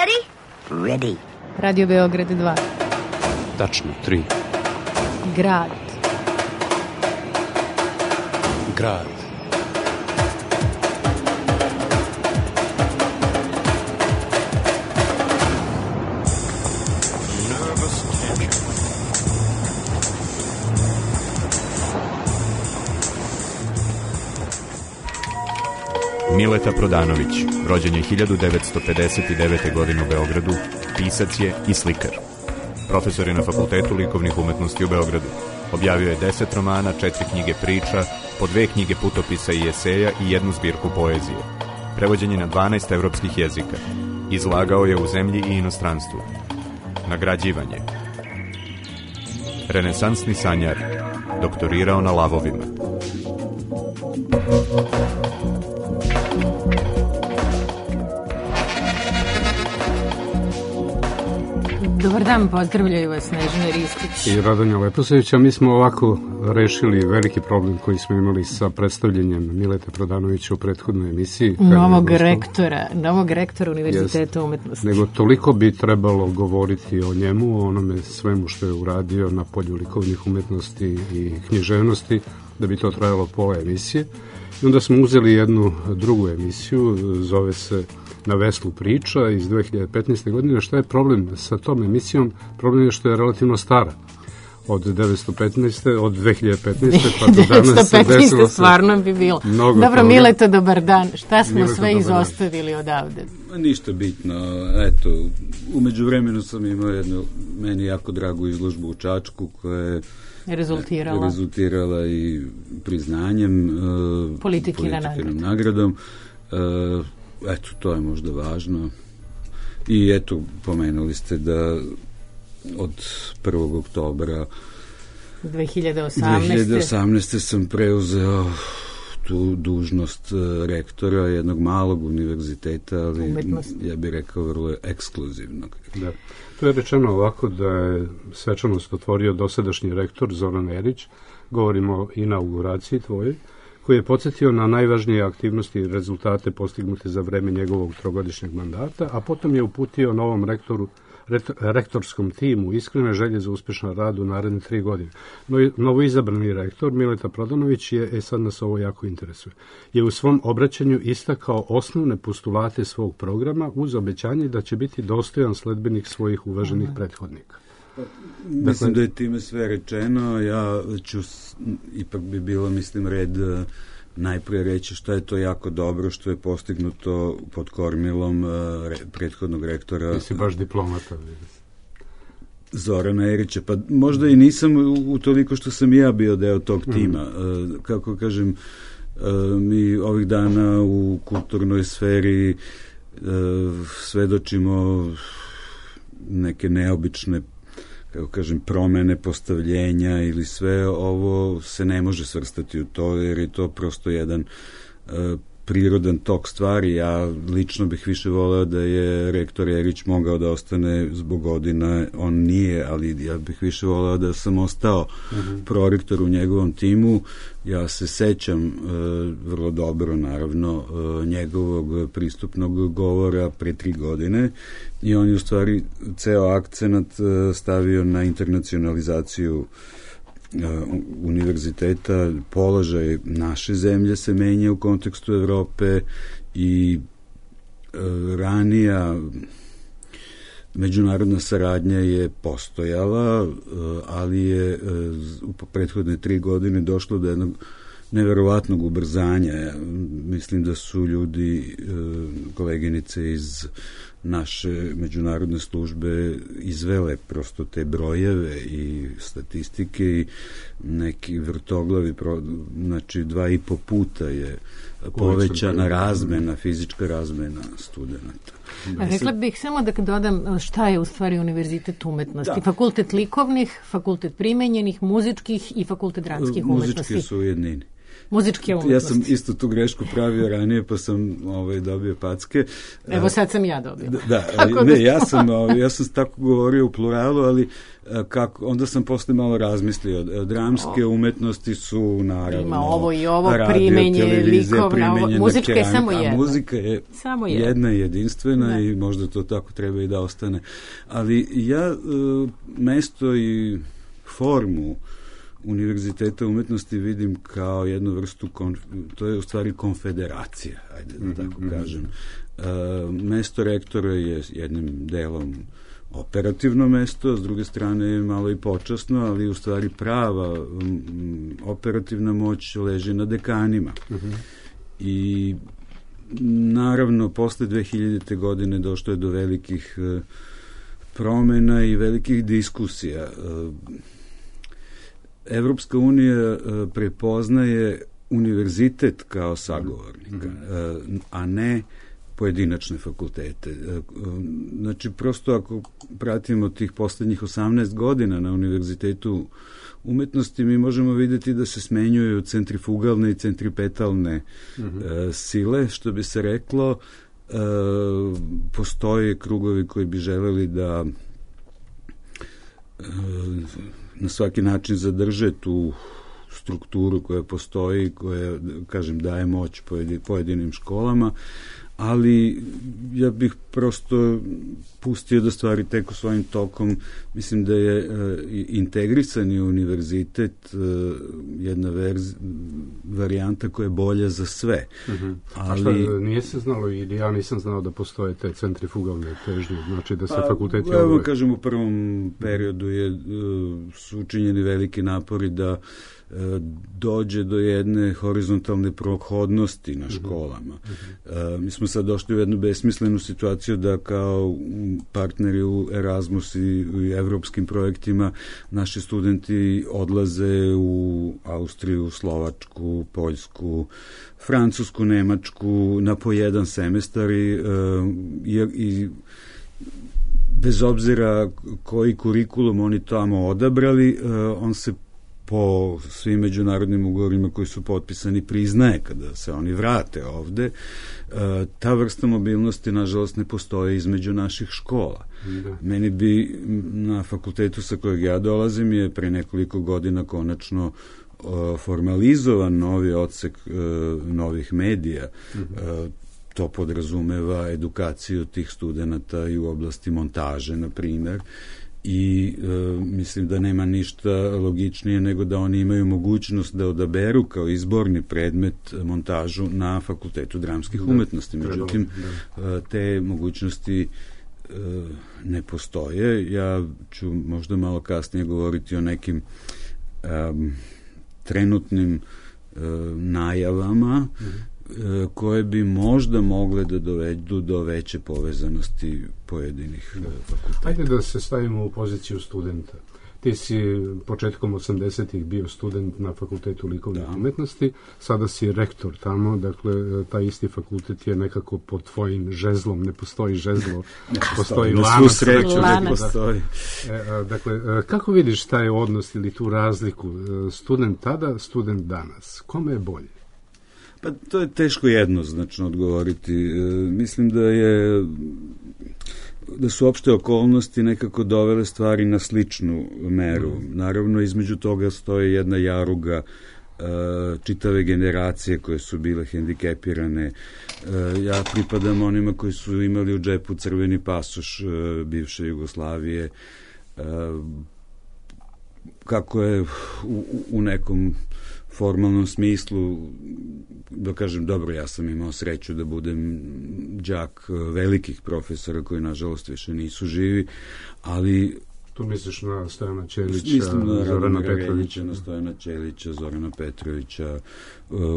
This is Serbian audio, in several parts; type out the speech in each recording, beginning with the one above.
ready? Ready. Radio Beograd 2. Tačno 3. Grad. Grad. Mileta Prodanović, rođen je 1959. godine u Beogradu, pisac je i slikar. Profesor je na Fakultetu likovnih umetnosti u Beogradu. Objavio je 10 romana, 4 knjige priča, po 2 knjige putopisa i eseja i 1 zbirku poezije. Prevođen je na 12 evropskih jezika. Izlagao je u zemlji i inostranstvu. Nagrađivanje. Renesansni sanjar. Doktorirao na lavovima. Dobar dan, pozdravljaju vas Snežana Ristić i Radonja Leposević, a mi smo ovako rešili veliki problem koji smo imali sa predstavljanjem Mileta Prodanovića u prethodnoj emisiji. Novog rektora Univerziteta umetnosti. Nego toliko bi trebalo govoriti o njemu, o onome svemu što je uradio na polju likovnih umetnosti i književnosti, da bi to trajalo pola emisije. I onda smo uzeli jednu drugu emisiju, zove se Na veslu priča iz 2015. godine. Šta je problem sa tom emisijom? Problem je što je relativno stara. Od 2015. pa do danas se desilo stvarno bi bilo. Dobro, Mileta, dobar dan. Šta smo Mileta, sve izostavili odavde? Ništa bitno. Eto, umeđu vremenu sam imao jednu meni jako dragu izložbu u Čačku koja je rezultirala i priznanjem Politikinom nagradom. Eto, to je možda važno. I eto, pomenuli ste da od 1. oktobra 2018. sam preuzeo tu dužnost rektora jednog malog univerziteta, ali ja bih rekao vrlo ekskluzivnog. Da. To je rečeno ovako da je svečanost otvorio dosadašnji rektor Zoran Erić, govorimo o inauguraciji tvojoj, koji je podsjetio na najvažnije aktivnosti i rezultate postignute za vreme njegovog 3-godišnjeg mandata, a potom je uputio novom rektorskom timu iskrene želje za uspešan rad u naredne 3 godine. Novoizabrani rektor Mileta Prodanović je, sad nas ovo jako interesuje, je u svom obraćanju istakao osnovne postulate svog programa uz obećanje da će biti dostojan sledbenik svojih uvaženih prethodnika. Mislim da je time sve rečeno. Ja ću, ipak bi bilo, mislim, red najprije reći šta je to jako dobro što je postignuto pod kormilom prethodnog rektora. Ti si baš diplomata. Zorana Erića. Pa možda i nisam utoliko što sam i ja bio deo tog tima. Kako kažem, mi ovih dana u kulturnoj sferi svedočimo neke neobične, kako kažem, promene postavljenja ili sve ovo se ne može svrstati u to, jer je to prosto jedan prirodan tok stvari. Ja lično bih više voleo da je rektor Erić mogao da ostane zbog godina, on nije, ali ja bih više voleo da sam ostao prorektor u njegovom timu. Ja se sećam vrlo dobro, naravno, njegovog pristupnog govora pre 3 godine i on je u stvari ceo akcenat stavio na internacionalizaciju univerziteta. Položaj naše zemlje se menja u kontekstu Evrope i ranija međunarodna saradnja je postojala, ali je u prethodne 3 godine došlo do jednog neverovatnog ubrzanja. Mislim da su ljudi, koleginice iz naše međunarodne službe izvele prosto te brojeve i statistike i neki vrtoglavi, znači 2,5 puta je povećana razmena, fizička razmena studenta. Rekla bih samo da dodam šta je u stvari Univerzitet umetnosti. Fakultet likovnih, fakultet primenjenih, muzičkih i fakultet dramskih umetnosti. Muzički su u jednini. muzičke umetnosti. Ja sam isto tu grešku pravio ranije, pa sam dobio packe. Evo sad sam ja dobio. Ja sam tako govorio u pluralu, ali onda sam posle malo razmislio. Dramske umetnosti su naravno ima ovo i ovo, primenje, likovna, muzička je samo jedna. Muzika je samo jedna i jedinstvena i možda to tako treba i da ostane. Ali ja mesto i formu Univerziteta umetnosti vidim kao jednu vrstu, to je u stvari konfederacija, ajde da tako kažem. Mesto rektora je jednim delom operativno mesto, s druge strane je malo i počasno, ali u stvari prava operativna moć leži na dekanima. I naravno, posle 2000. godine došlo je do velikih promena i velikih diskusija. Evropska unija prepoznaje univerzitet kao sagovornika, a ne pojedinačne fakultete. Znači, prosto ako pratimo tih poslednjih 18 godina na Univerzitetu umetnosti, mi možemo vidjeti da se smenjuju centrifugalne i centripetalne sile, što bi se reklo. Postoje krugovi koji bi želeli da na svaki način zadrže tu strukturu koja postoji, koja, kažem, daje moć pojedinim školama, ali ja bih prosto pustio da stvari teku svojim tokom. Mislim da je integrisani univerzitet jedna varijanta koja je bolja za sve. Ali... A šta, nije se znalo, ili ja nisam znao da postoje te centrifugalne težnje, znači da se fakulteti... Evo, kažem, u prvom periodu su učinjeni veliki napori da dođe do jedne horizontalne prohodnosti na školama. Mi smo sad došli u jednu besmislenu situaciju da kao partneri u Erasmus i u evropskim projektima naši studenti odlaze u Austriju, Slovačku, Poljsku, Francusku, Nemačku na po jedan semestar i bez obzira koji kurikulum oni tamo odabrali, on se po svim međunarodnim ugovorima koji su potpisani priznaje kada se oni vrate ovde. Ta vrsta mobilnosti, nažalost, ne postoje između naših škola. Meni bi na fakultetu sa kojeg ja dolazim je pre nekoliko godina konačno formalizovan novi odsek novih medija. To podrazumeva edukaciju tih studenata i u oblasti montaže, na primer, i mislim da nema ništa logičnije nego da oni imaju mogućnost da odaberu kao izborni predmet montažu na Fakultetu dramskih umetnosti. Međutim, te mogućnosti ne postoje. Ja ću možda malo kasnije govoriti o nekim trenutnim najavama koje bi možda mogle da dovedu do veće povezanosti pojedinih fakulteta. Ajde da se stavimo u poziciju studenta. Ti si početkom 80-ih bio student na Fakultetu likovnih umetnosti, sada si rektor tamo, dakle, taj isti fakultet je nekako pod tvojim žezlom, ne postoji žezlo, postoji lanac. Na svu sreću ne postoji. Dakle, kako vidiš taj odnos ili tu razliku? Student tada, student danas. Kome je bolje? Pa to je teško jednoznačno odgovoriti. Mislim da su opšte okolnosti nekako dovele stvari na sličnu meru. Naravno, između toga stoji jedna jaruga čitave generacije koje su bile hendikepirane. Ja pripadam onima koji su imali u džepu crveni pasoš bivše Jugoslavije. Kako je u nekom formalnom smislu, da kažem, dobro, ja sam imao sreću da budem đak velikih profesora koji, nažalost, više nisu živi, ali... Tu misliš na Stojana Ćelića, Zorana Petrovića? Na Stojana Ćelića, Zorana Petrovića,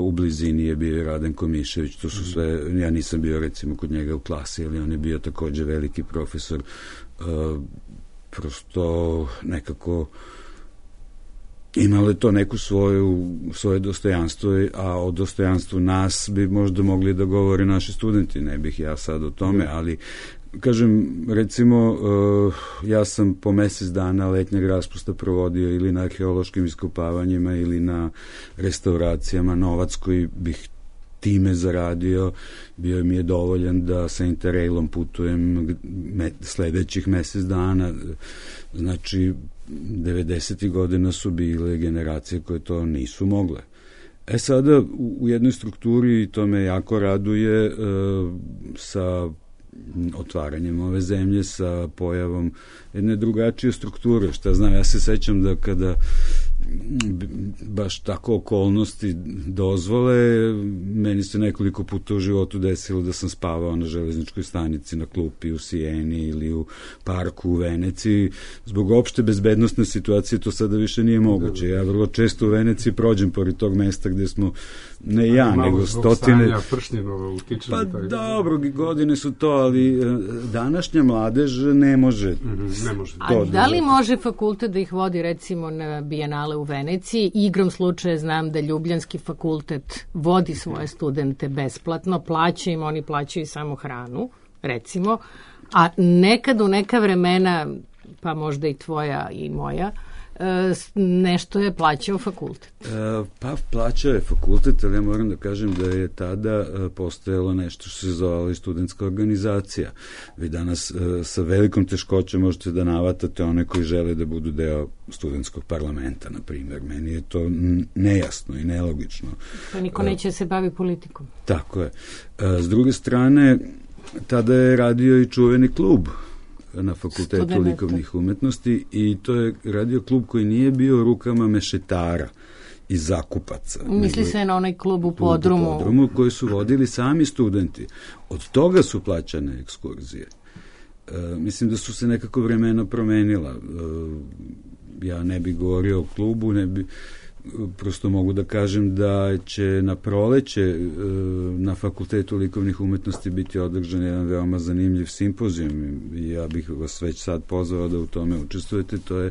u blizini je bio Raden Komišević, to su sve, ja nisam bio recimo kod njega u klasi, ali on je bio takođe veliki profesor, prosto nekako imalo je to neku svoje dostojanstvo, a o dostojanstvu nas bi možda mogli da govore naši studenti, ne bih ja sad o tome, ali kažem, recimo, ja sam po mesec dana letnjeg raspusta provodio ili na arheološkim iskopavanjima ili na restauracijama. Novac koji bih time zaradio bio mi je dovoljan da sa Interrailom putujem sledećih mesec dana. Znači, 90. godina su bile generacije koje to nisu mogle. Sada u jednoj strukturi, to me jako raduje, sa otvaranjem ove zemlje, sa pojavom jedne drugačije strukture. Šta znam, ja se sećam da kada baš tako okolnosti dozvole, meni se nekoliko puta u životu desilo da sam spavao na železničkoj stanici, na klupi u Sijeni ili u parku u Veneciji. Zbog opšte bezbednostne situacije to sada više nije moguće. Ja vrlo često u Veneciji prođem pored tog mesta gde smo, ne ja, nego stotine... Pa dobro, godine su to, ali današnja mladež ne može. A da li može fakultet da ih vodi recimo na Bijenale u Veneciji? Igrom slučaja znam da Ljubljanski fakultet vodi svoje studente besplatno, plaća im, oni plaćaju samo hranu, recimo, a nekad u neka vremena, pa možda i tvoja i moja, nešto je plaćao fakultet. Pa plaćao je fakultet, ali ja moram da kažem da je tada postojalo nešto što se zvala i studentska organizacija. Vi danas sa velikom teškoćom možete da navatate one koji žele da budu deo studentskog parlamenta, na primjer. Meni je to nejasno i nelogično. Pa niko neće se bavi politikom. Tako je. S druge strane, tada je radio i čuveni klub na Fakultetu likovnih umetnosti i to je radio klub koji nije bio rukama mešetara i zakupaca. Misli se na onaj klub u Podrumu. U Podrumu koji su vodili sami studenti. Od toga su plaćane ekskurzije. Mislim da su se nekako vremena promenila. Ja ne bih govorio o klubu, prosto mogu da kažem da će na proleće na Fakultetu likovnih umetnosti biti održan jedan veoma zanimljiv simpozijum i ja bih vas već sad pozvao da u tome učestvujete. To je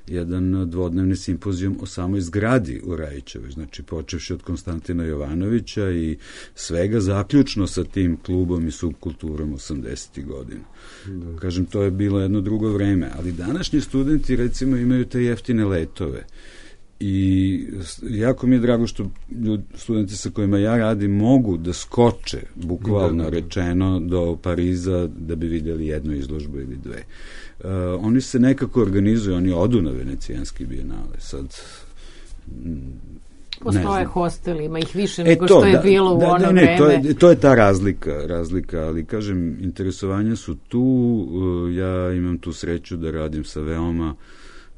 jedan dvodnevni simpozijum o samoj zgradi u Rajićevoj, znači počevši od Konstantina Jovanovića i svega zaključno sa tim klubom i subkulturom 80. godina. Kažem, to je bilo jedno drugo vreme, ali današnji studenti recimo imaju te jeftine letove. I jako mi je drago što studenti sa kojima ja radim mogu da skoče, bukvalno rečeno, do Pariza da bi vidjeli jednu izložbu ili dve. Oni se nekako organizuju, oni odu na Venecijanski bijenale. Sad, postoje hosteli, ima ih više nego što je bilo u ono vreme. To je ta razlika, ali kažem, interesovanja su tu, ja imam tu sreću da radim sa veoma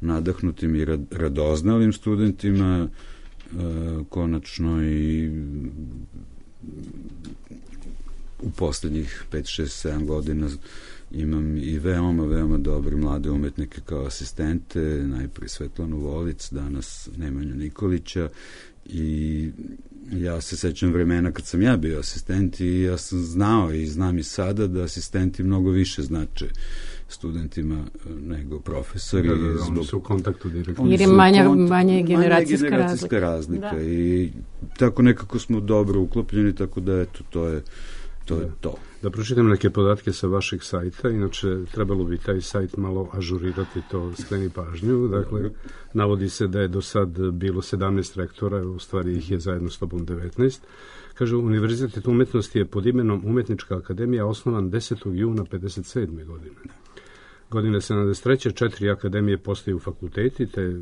nadahnutim i radoznalim studentima, konačno i u poslednjih 5, 6, 7 godina imam i veoma dobre mlade umetnike kao asistente, najprije Svetlanu Volic, danas Nemanju Nikolića, i ja se sećam vremena kad sam ja bio asistent i ja sam znao i znam i sada da asistenti mnogo više znače studentima nego profesori. Oni su u kontaktu direktno. Jer je manje generacijska razlika. I tako nekako smo dobro uklopljeni, tako da eto, to je to. Da pročitam neke podatke sa vašeg sajta, inače trebalo bi taj sajt malo ažurirati, to skreni pažnju. Dakle, navodi se da je do sad bilo 17 rektora, u stvari ih je zajedno s tobom 19. Kaže, Univerzitet umetnosti je pod imenom Umetnička akademija osnovan 10. juna 57. godine. Godine 73. 4 akademije postaju fakulteti, te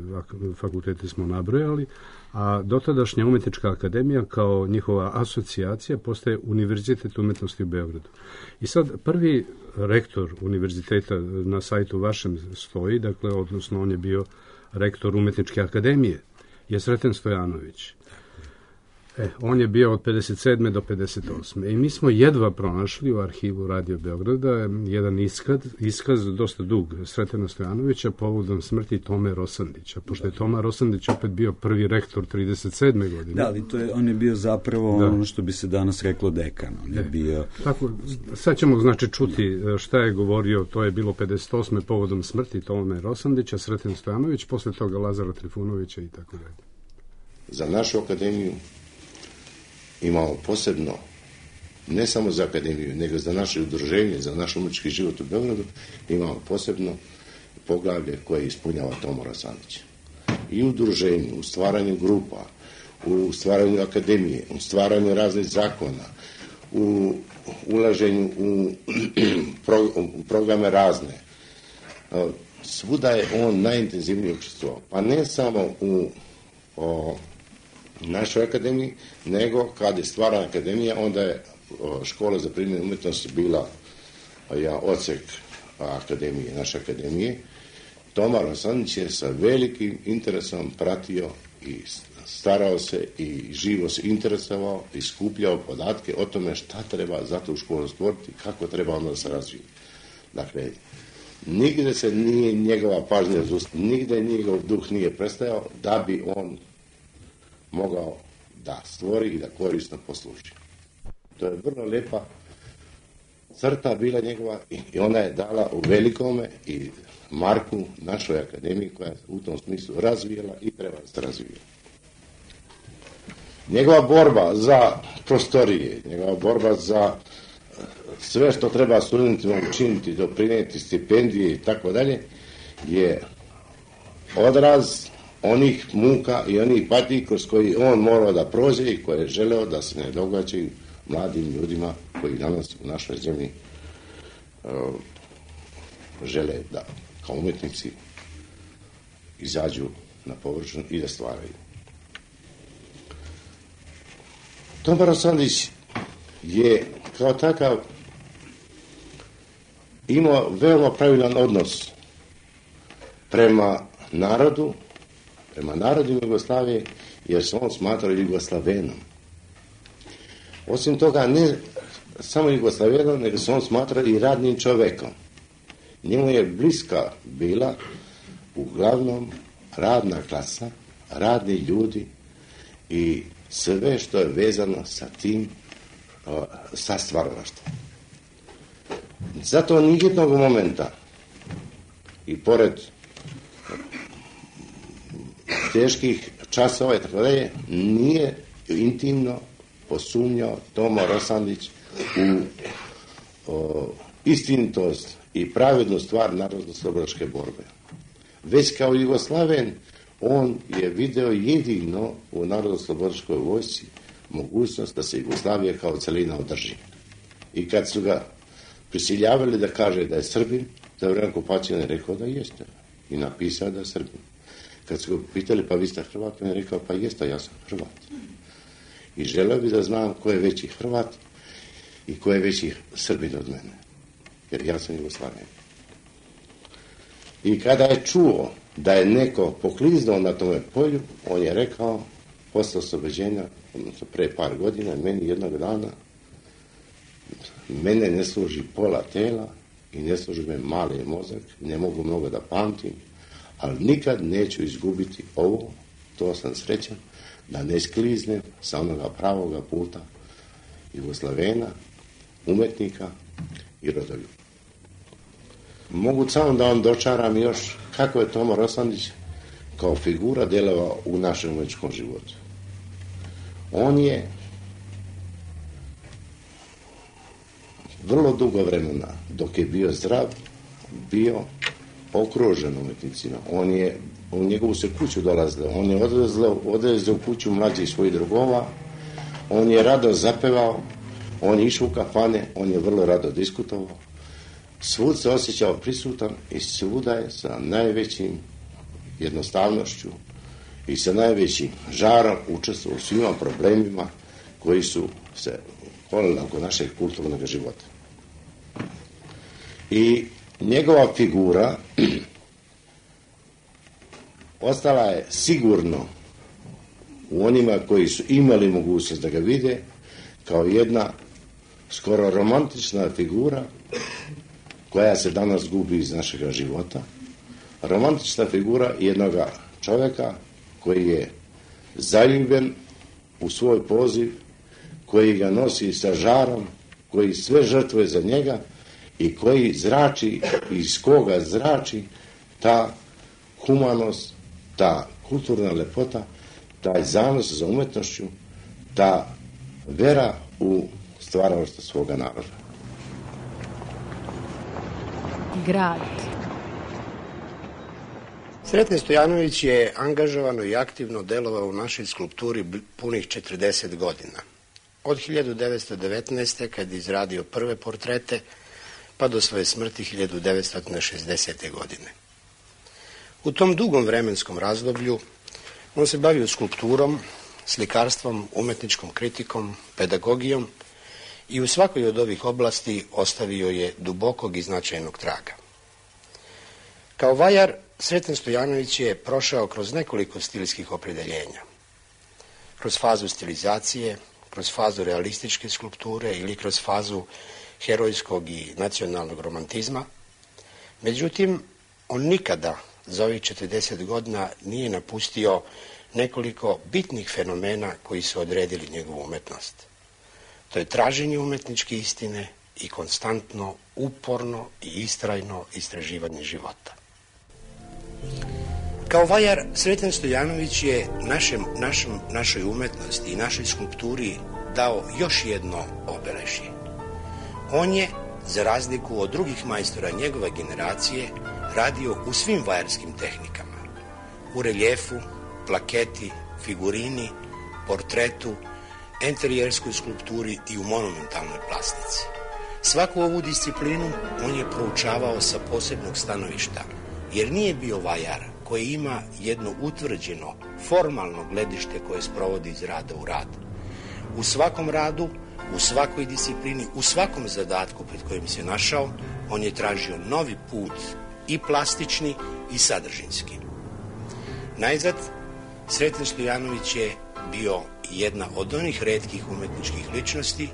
fakultete smo nabrojali, a dotadašnja Umetnička akademija kao njihova asocijacija postaje Univerzitet umetnosti u Beogradu. I sad prvi rektor univerziteta na sajtu vašem stoji, dakle, odnosno on je bio rektor Umetničke akademije, je Sreten Stojanović. On je bio od 57. do 58. I mi smo jedva pronašli u arhivu Radio Beograda jedan iskaz dosta dug Sretena Stojanovića povodom smrti Tome Rosandića, pošto je Toma Rosandić opet bio prvi rektor 37. godine. Da, ali on je bio zapravo ono što bi se danas reklo dekan. On je bio... Tako, sad ćemo znači čuti šta je govorio, to je bilo 58. povodom smrti Tome Rosandića, Sreten Stojanović, posle toga Lazara Trifunovića i tako dalje. Za našu akademiju imamo posebno ne samo za akademiju, nego za naše udruženje, za naš umetnički život u Beogradu, imamo posebno poglavlje koje ispunjava Tomo Rosandić. I u udruženju, u stvaranju grupa, u stvaranju akademije, u stvaranju raznih zakona, u ulaženju u programe razne. Svuda je on najintenzivnije učestvovao. Pa ne samo u našoj akademiji, nego kad je stvarana akademija, onda je škola za primjenu umjetnosti bila odsek akademije, naše akademije. Toma Rosandić je sa velikim interesom pratio i starao se i živo se interesovao i skupljao podatke o tome šta treba za tu školu stvoriti, kako treba onda da se razvije. Dakle, nigde se nije njegova pažnja nigde njegov duh nije prestajao da bi on mogao da stvori i da korisno posluži. To je vrlo lepa crta bila njegova i ona je dala u velikome i marku našoj akademiji koja je u tom smislu razvijela i treba da se razvija. Njegova borba za prostorije, njegova borba za sve što treba studentima učiniti, doprinijeti stipendije i tako dalje, je odraz onih muka i onih patnji kroz koji on morao da prođe i koje je želeo da se ne događaju mladim ljudima koji danas u našoj zemlji žele da kao umetnici izađu na površinu i da stvaraju. Toma Rosandić je kao takav imao veoma pravilan odnos prema narodu, prema narodu Jugoslavije, jer se on smatrao Jugoslavenom. Osim toga, ne samo Jugoslavenom, nego se on smatrao i radnim čovekom. Njemu je bliska bila uglavnom radna klasa, radni ljudi i sve što je vezano sa tim, sa stvaralaštvom. Zato nijednog momenta i pored teških časova i tako dalje, nije intimno posumnjao Tomo Rosandić u istinitost i pravednu stvar narodno-slobodilačke borbe. Već kao Jugoslaven, on je video jedino u narodno-slobodilačkoj vojsci mogućnost da se Jugoslavija kao celina održi. I kad su ga prisiljavali da kaže da je Srbin, za vreme okupacije on je rekao da jeste. I napisao da je Srbin. Kad su ga pitali, pa vi ste Hrvat, on je rekao, pa jeste, ja sam Hrvat. I želeo bi da znam ko je veći Hrvat i ko je veći Srbin od mene. Jer ja sam Jugoslaven. I kada je čuo da je neko pokliznuo na tome polju, on je rekao, posle oslobođenja, odnosno pre par godina, meni jednog dana, mene ne služi pola tela i ne služi me mali mozak, ne mogu mnogo da pamtim, ali nikad neću izgubiti ovo, to sam srećan, da ne skliznem sa onoga pravoga puta Jugoslavena, umetnika i rodoljuba. Mogu samo da vam dočaram još kako je Tomo Rosandić kao figura djelovao u našem umetničkom životu. On je vrlo dugo vremena, dok je bio zdrav, bio okružen umetnicima. U njegovu se kuću dolazilo, on je odvezao u kuću mlađih svojih drugova, on je rado zapevao, on je išao u kafane, on je vrlo rado diskutovao. Svud se osjećao prisutan i svuda je sa najvećim jednostavnošću i sa najvećim žarom učestvovao u svima problemima koji su se kolili oko našeg kulturnog života. I njegova figura ostala je sigurno u onima koji su imali mogućnost da ga vide kao jedna skoro romantična figura koja se danas gubi iz našeg života. Romantična figura jednog čovjeka koji je zaljubljen u svoj poziv, koji ga nosi sa žarom, koji sve žrtvuje za njega i koji zrači, iz koga zrači ta humanost, ta kulturna lepota, taj zanos za umetnošću, ta vera u stvaralaštva svoga naroda. Grad. Sreten Stojanović je angažovano i aktivno delovao u našoj skulpturi punih 40 godina. Od 1919. kad je izradio prve portrete, pa do svoje smrti 1960. godine. U tom dugom vremenskom razdoblju on se bavio skulpturom, slikarstvom, umetničkom kritikom, pedagogijom i u svakoj od ovih oblasti ostavio je dubokog i značajnog traga. Kao vajar, Sreten Stojanović je prošao kroz nekoliko stilskih opredeljenja. Kroz fazu stilizacije, kroz fazu realističke skulpture ili kroz fazu herojskog i nacionalnog romantizma. Međutim, on nikada za ovih 40 godina nije napustio nekoliko bitnih fenomena koji su odredili njegovu umetnost. To je traženje umetničke istine i konstantno, uporno i istrajno istraživanje života. Kao vajar, Sreten Stojanović je našoj umetnosti i našoj skulpturi dao još jedno obeležje. On je, za razliku od drugih majstora njegove generacije, radio u svim vajarskim tehnikama. U reljefu, plaketi, figurini, portretu, enterijerskoj skulpturi i u monumentalnoj plastici. Svaku ovu disciplinu on je proučavao sa posebnog stanovišta, jer nije bio vajar koji ima jedno utvrđeno, formalno gledište koje sprovodi iz rada u rad. U svakom radu, u svakoj disciplini, u svakom zadatku pred kojim se našao, on je tražio novi put, i plastični i sadržinski. Najzad, Sreten Stojanović je bio jedna od onih retkih umetničkih ličnosti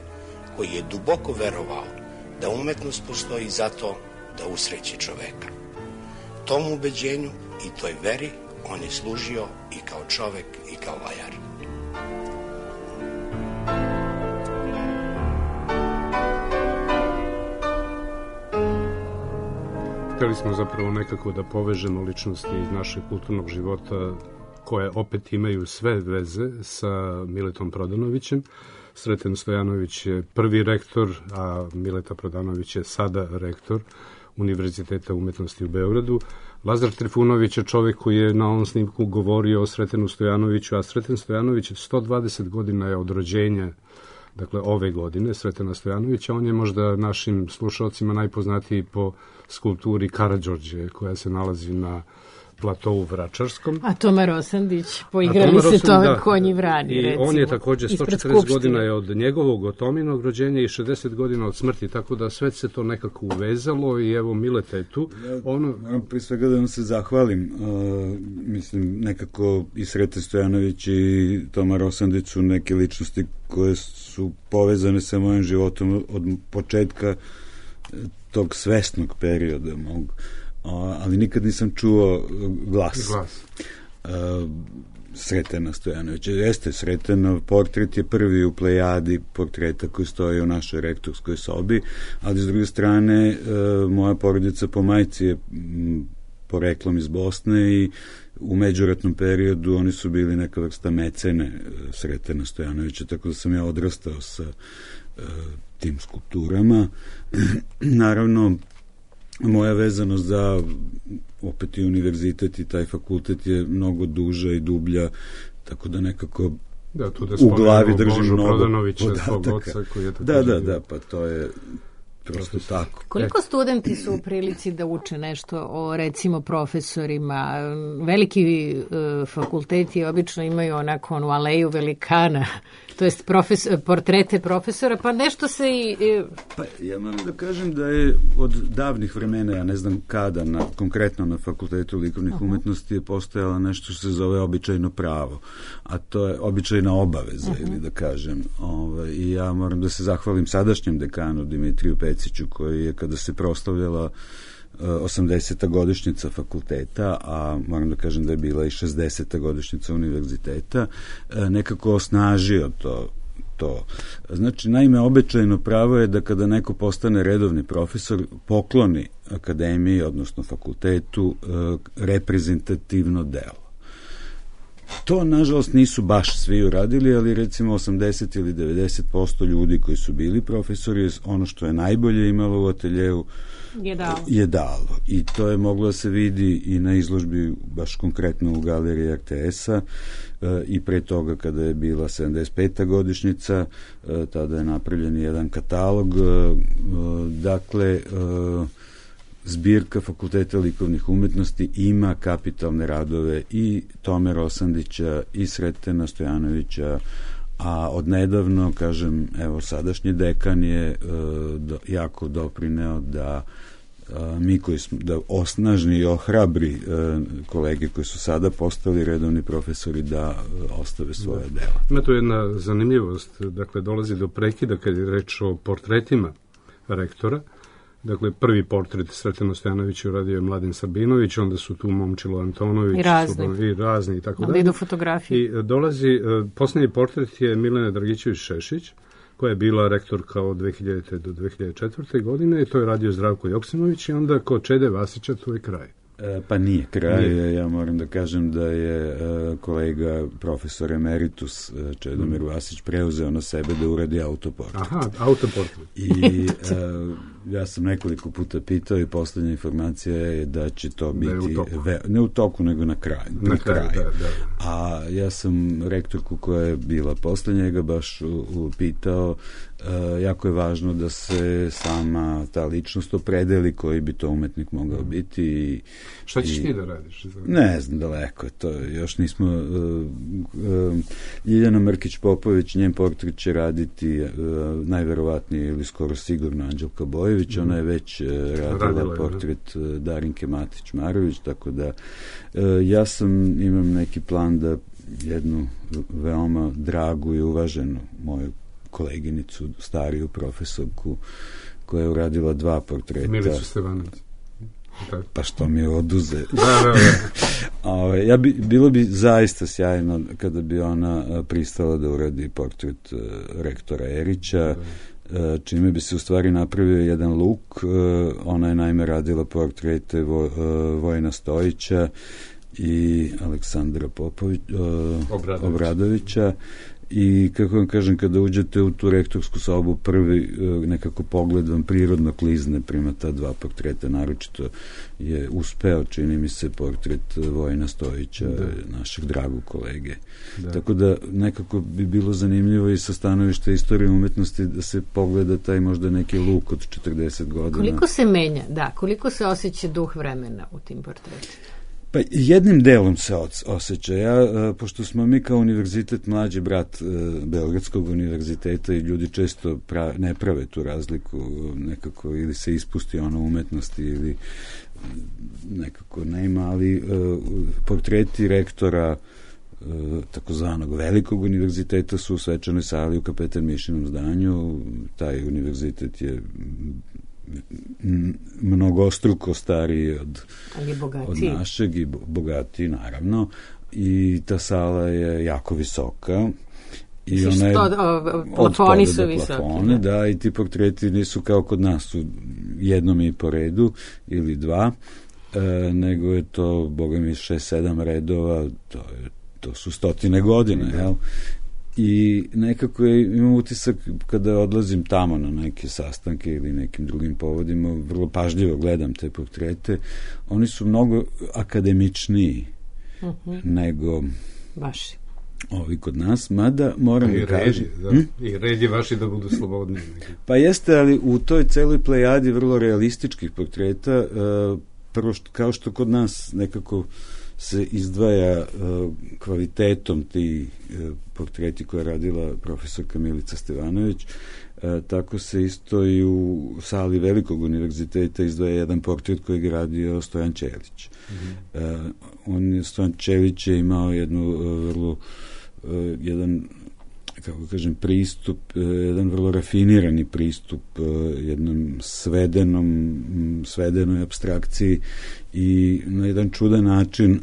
koji je duboko verovao da umetnost postoji zato da usreće čoveka. Tom ubeđenju i toj veri on je služio i kao čovek i kao vajar. Hteli smo zapravo nekako da povežemo ličnosti iz našeg kulturnog života koje opet imaju sve veze sa Miletom Prodanovićem. Sreten Stojanović je prvi rektor, a Mileta Prodanović je sada rektor Univerziteta umetnosti u Beogradu. Lazar Trifunović je čovjek koji je na ovom snimku govorio o Sretenu Stojanoviću, a Sreten Stojanović 120 godina je od rođenja, dakle ove godine, Sretena Stojanovića. On je možda našim slušalcima najpoznatiji po skulpturi Karađorđe, koja se nalazi na platovu Vračarskom. A Toma Rosandić, poigrali se to konji vrani, i recimo. On je također 140 godina je od njegovog, od Tominog rođenja i 60 godina od smrti, tako da sve se to nekako uvezalo i evo Mileta je tu. Moram prije svega da vam se zahvalim. Mislim, nekako i Sreten Stojanović i Toma Rosandić su neke ličnosti koje su povezane sa mojim životom od početka tog svesnog perioda mog. Ali nikad nisam čuo glas. Sretena Stojanovića. Jeste, Sretenov portret je prvi u plejadi portreta koji stoji u našoj rektorskoj sobi, ali s druge strane moja porodica po majci je poreklom iz Bosne i u međuratnom periodu oni su bili neka vrsta mecene Sretena Stojanovića, tako da sam ja odrastao sa tim skulpturama. Naravno, moja vezanost za opet i univerzitet i taj fakultet je mnogo duža i dublja, tako da nekako u glavi držim mnogo podataka. Da, pa to je prosto tako. Koliko studenti su u prilici da uče nešto o, recimo, profesorima? Veliki fakulteti obično imaju onako onu aleju velikana, to jest portrete profesora, pa nešto se i... Pa ja moram da kažem da je od davnih vremena, ja ne znam kada, konkretno na Fakultetu likovnih umetnosti je postojalo nešto što se zove običajno pravo, a to je običajna obaveza, ili da kažem. I ja moram da se zahvalim sadašnjem dekanu Dimitriju Peciću, koji je kada se proslavljala 80. godišnjica fakulteta, a moram da kažem da je bila i 60. godišnjica univerziteta, nekako osnažio to. Znači, naime, običajno pravo je da kada neko postane redovni profesor, pokloni akademiji, odnosno fakultetu, reprezentativno delo. To, nažalost, nisu baš svi uradili, ali recimo 80 ili 90% ljudi koji su bili profesori, ono što je najbolje imalo u ateljevu je dalo. I to je moglo da se vidi i na izložbi, baš konkretno u galeriji RTS-a, i pre toga kada je bila 75. godišnjica, tada je napravljen jedan katalog. Dakle, zbirka Fakulteta likovnih umetnosti ima kapitalne radove i Tome Rosandića i Sretena Stojanovića, a odnedavno, kažem, evo, sadašnji dekan je jako doprineo da mi koji smo, da osnažni i ohrabri kolege koji su sada postali redovni profesori da ostave svoje dela. Ima tu jedna zanimljivost, dakle, dolazi do prekida kad je reč o portretima rektora. Dakle, prvi portret Sretena Stojanovića uradio je Mladen Sabinović, onda su tu Momčilo Antonović i razni i tako dalje. Onda idu fotografije. I dolazi, posljednji portret je Milena Dragićević-Šešić, koja je bila rektorka od 2000. do 2004. godine, i to je radio Zdravko Joksimović, i onda kod Čede Vasića to je kraj. Pa nije kraj, ja moram da kažem da je kolega profesor emeritus Čedomir Vasić preuzeo na sebe da uradi autoportret. Aha, autoportret. I ja sam nekoliko puta pitao i poslednja informacija je da će to biti ne u toku, nego na kraju. Na kraju. Da. A ja sam rektorku koja je bila posle njega baš pitao, jako je važno da se sama ta ličnost opredeli koji bi to umetnik mogao biti. Šta ćeš ti da radiš? Ne znam, daleko je to. Još nismo... Ljiljana Mrkić-Popović, njen portret će raditi najverovatnije ili skoro sigurno Anđelka Bojević. Ona je već radila portret Darinke Matić-Marović, tako da ja imam neki plan da jednu veoma dragu i uvaženu moju koleginicu, stariju profesorku, koja je uradila 2 portreta. Milicu Stevanović. Pa što mi je oduze. Bilo bi zaista sjajno kada bi ona pristala da uradi portret rektora Erića, čime bi se u stvari napravio jedan luk. Ona je naime radila portrete Vojina Stojića i Aleksandra Obradovića. I, kako vam kažem, kada uđete u tu rektorsku sobu, prvi nekako pogled vam prirodno klizne prema ta 2 portreta, naročito je uspeo, čini mi se, portret Vojina Stojića, našeg dragog kolege. Tako da nekako bi bilo zanimljivo i sa stanovišta istorije umetnosti da se pogleda taj možda neki luk od 40 godina. Koliko se menja, koliko se osjeća duh vremena u tim portretima? Pa jednim delom se osjeća. Pošto smo mi kao univerzitet mlađi brat Beogradskog univerziteta i ljudi često ne prave tu razliku nekako, ili se ispusti ono umetnosti ili nekako nema, ali portreti rektora takozvanog velikog univerziteta su u svečanoj sali u Kapetan Mišinom zdanju. Taj univerzitet je mnogostruko stariji od našeg i bogatiji, naravno, i ta sala je jako visoka i ona je plafoni su visoki. Da, i ti portreti nisu kao kod nas su jednom i po redu ili 2, nego je to, boga mi, 6-7 redova, to su 100 godina, jel? I nekako imam utisak kada odlazim tamo na neke sastanke ili nekim drugim povodima, vrlo pažljivo gledam te portrete, oni su mnogo akademičniji nego vaši ovi kod nas, mada moram da kažem... I red je vaši da budu slobodni. Pa jeste, ali u toj celoj plejadi vrlo realističkih portreta, prvo kao što kod nas nekako se izdvaja kvalitetom ti portreti koje je radila profesorka Milica Stevanović, tako se isto i u sali Velikog univerziteta izdvaja jedan portret koji je radio Stojan Ćelić. Stojan Ćelić je imao jedan kako kažem, pristup, jedan vrlo rafinirani pristup jednom svedenoj apstrakciji i na jedan čudan način,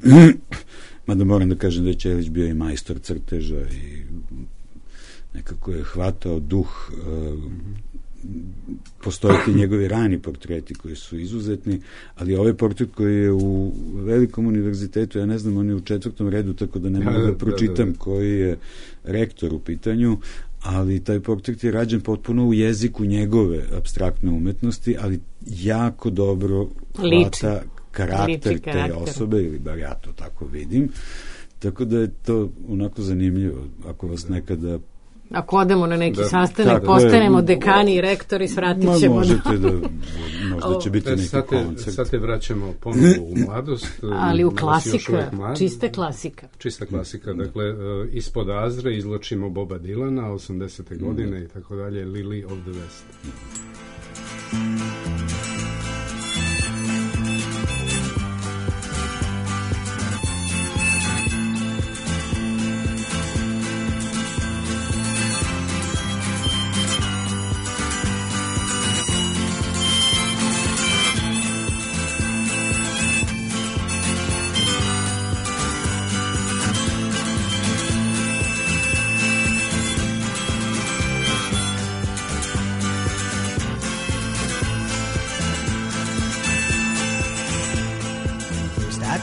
mada moram da kažem da je Ćelić bio i majstor crteža i nekako je hvatao duh postoje ti njegovi rani portreti koji su izuzetni, ali ovaj portret koji je u velikom univerzitetu, ja ne znam, on je u 4. redu, tako da ne mogu da pročitam koji je rektor u pitanju, ali taj portret je rađen potpuno u jeziku njegove apstraktne umetnosti, ali jako dobro hvata karakter te osobe, ili bar ja to tako vidim, tako da je to onako zanimljivo, ako vas nekada ako odemo na neki sastanak, postanemo dekani i rektori, svratit ćemo. Možete da, možda će biti neki koncert. Sad te vraćamo ponovo u mladost. Ali u klasika, čista klasika. Čista klasika, dakle, ispod Azre izločimo Boba Dylana, 80. godine i tako dalje, Lily of the West.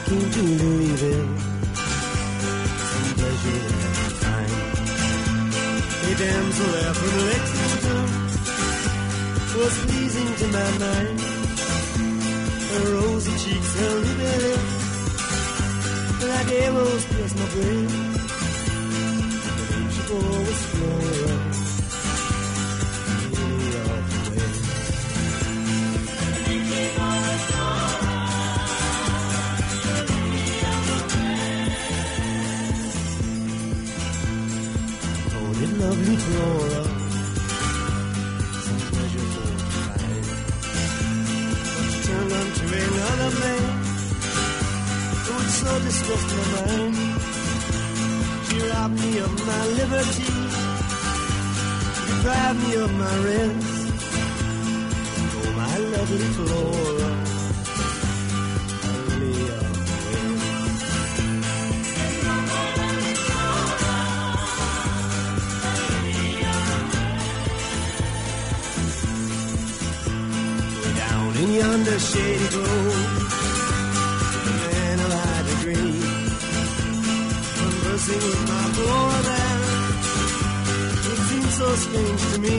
To Louisville, some pleasure to find. A damsel there from Lexington was pleasing to my mind. Her rosy cheeks, her ruby lips, like arrows pierced my brain. The name she bore was Flora, Lily of the West. The name she bore was Flora. Lovely Flora, some pleasure for to find. But she turned unto another man, which so distressed my mind. She robbed me of my liberty, deprived me of my rest. Oh, my lovely Flora, Lily of the West. In yonder shady grove, a man of high degree, conversing with my Flora there, it seemed so strange to me,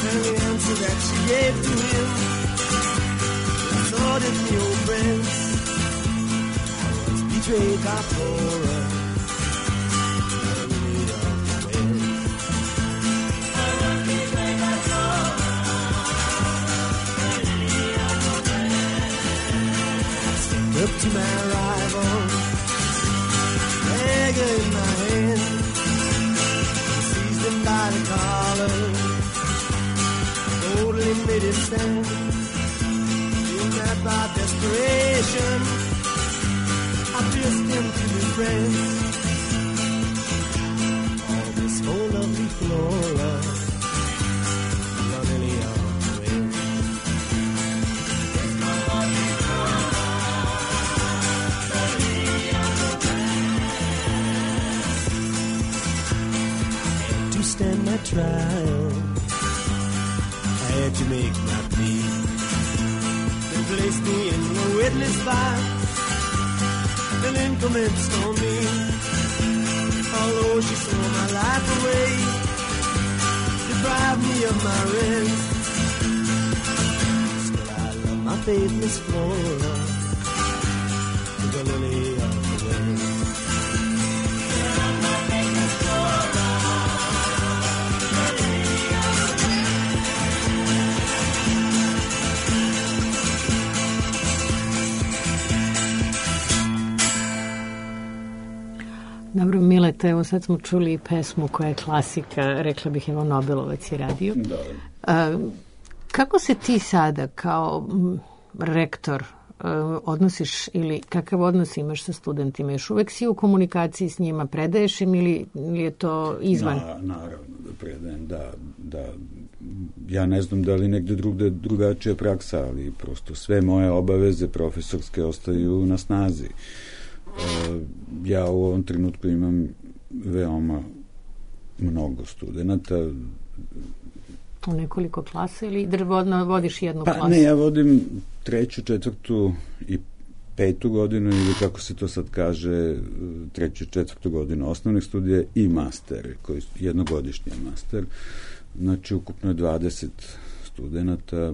and the answer that she gave to him exhorted me, oh friends, I was betrayed by Flora. Up to my rival, dagger in my hand, seized him by the collar, boldly made him stand. In that by desperation, I pierced him to his breast. All this for lovely Flora, Lily of the West. Stand my trial, I had to make my plea. They placed me in the witness box, and then commenced on me. Although she stole my life away, deprived me of my rest, still I love my faithless Flora, the Lily of the West. Dobro, Mileta, evo sad smo čuli pesmu koja je klasika, rekla bih, evo Nobelovac je radio. Da. Kako se ti sada kao rektor odnosiš ili kakav odnos imaš sa studentima? Još uvek si u komunikaciji s njima, predaješ im ili je to izvan? Naravno da predajem, da. Ja ne znam da li negde drugačija praksa, ali prosto sve moje obaveze profesorske ostaju na snazi. Ja u ovom trenutku imam veoma mnogo studenata. u nekoliko klasa ili vodiš jednu klasu? Ne, ja vodim 3., 4. i 5. godinu ili kako se to sad kaže 3. i 4. godinu osnovnih studija i master, koji jednogodišnji master. Znači ukupno je 20 studenata,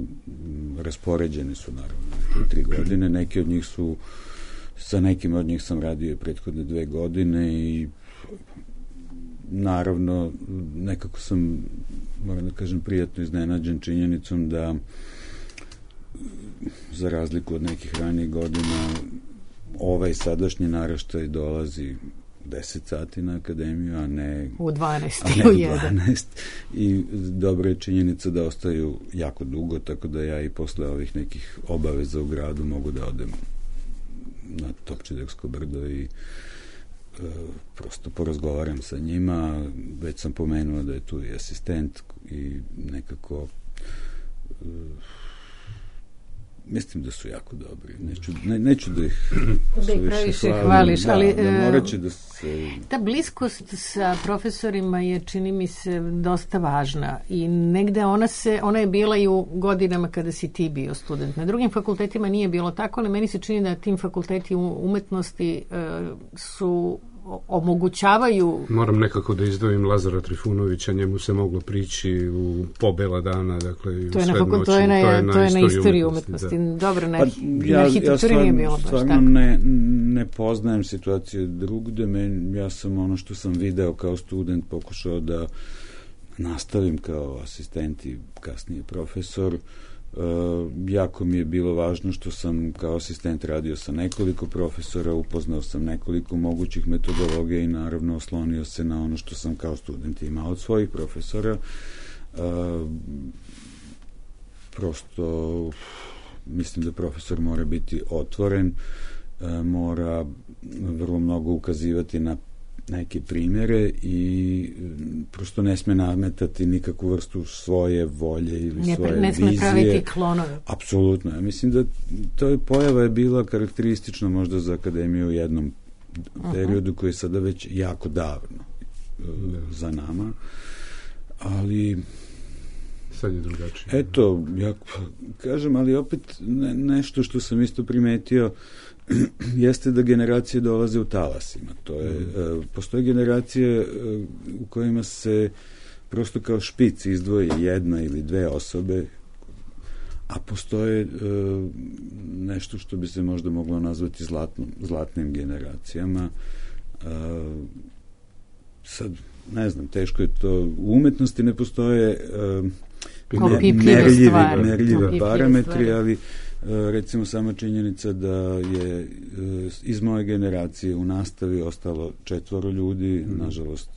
raspoređeni su naravno 3 godine, neki od njih su, sa nekim od njih sam radio prethodne 2 godine i naravno nekako sam, moram da kažem, prijatno iznenađen činjenicom da za razliku od nekih ranijih godina ovaj sadašnji naraštaj dolazi 10 sati na akademiju, a ne u 12, a ne u 12. I dobra je činjenica da ostaju jako dugo, tako da ja i posle ovih nekih obaveza u gradu mogu da odem na Topčidersko brdo i prosto porazgovaram sa njima. Već sam pomenuo da je tu i asistent i nekako mislim da su jako dobri. Neću da ih previše hvališ, ali morat će da se... Ta bliskost sa profesorima je, čini mi se, dosta važna i negde ona je bila i u godinama kada si ti bio student. Na drugim fakultetima nije bilo tako, ali meni se čini da tim fakulteti umetnosti su omogućavaju... Moram nekako da izdvojim Lazara Trifunovića, njemu se moglo prići u pobela dana, dakle, to je na istoriju umetnosti. Da. Dobro, na arhitekturi nije bilo baš tako. Ja stvarno ne poznajem situaciju drugde, ja sam ono što sam video kao student pokušao da nastavim kao asistent i kasnije profesor. Jako mi je bilo važno što sam kao asistent radio sa nekoliko profesora, upoznao sam nekoliko mogućih metodologija i naravno oslonio se na ono što sam kao student imao od svojih profesora. Prosto mislim da profesor mora biti otvoren, mora vrlo mnogo ukazivati na neke primjere i prosto ne sme nametati nikakvu vrstu svoje volje ili svoje vizije. Ne sme praviti klonove. Apsolutno. Ja mislim da to pojava je bila karakteristična možda za akademiju u jednom periodu koji je sada već jako davno za nama. Ali sad je drugačije. Eto, ja kažem, ali opet nešto što sam isto primetio jeste da generacije dolaze u talasima. To je, postoje generacije u kojima se prosto kao špic izdvoji 1 ili 2 osobe, a postoje nešto što bi se možda moglo nazvati zlatnim generacijama. Sad, ne znam, teško je to. U umetnosti ne postoje merljive parametri, ali recimo sama činjenica da je iz moje generacije u nastavi ostalo 4 ljudi, nažalost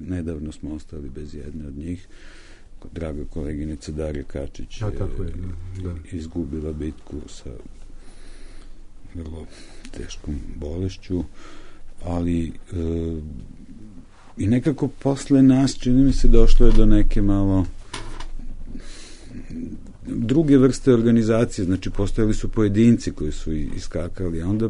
nedavno smo ostali bez jedne od njih. Draga koleginica Darija Kačić je izgubila bitku sa vrlo teškom bolešću, ali i nekako posle nas, čini mi se, došlo je do neke malo druge vrste organizacije, znači postojali su pojedinci koji su iskakali, a onda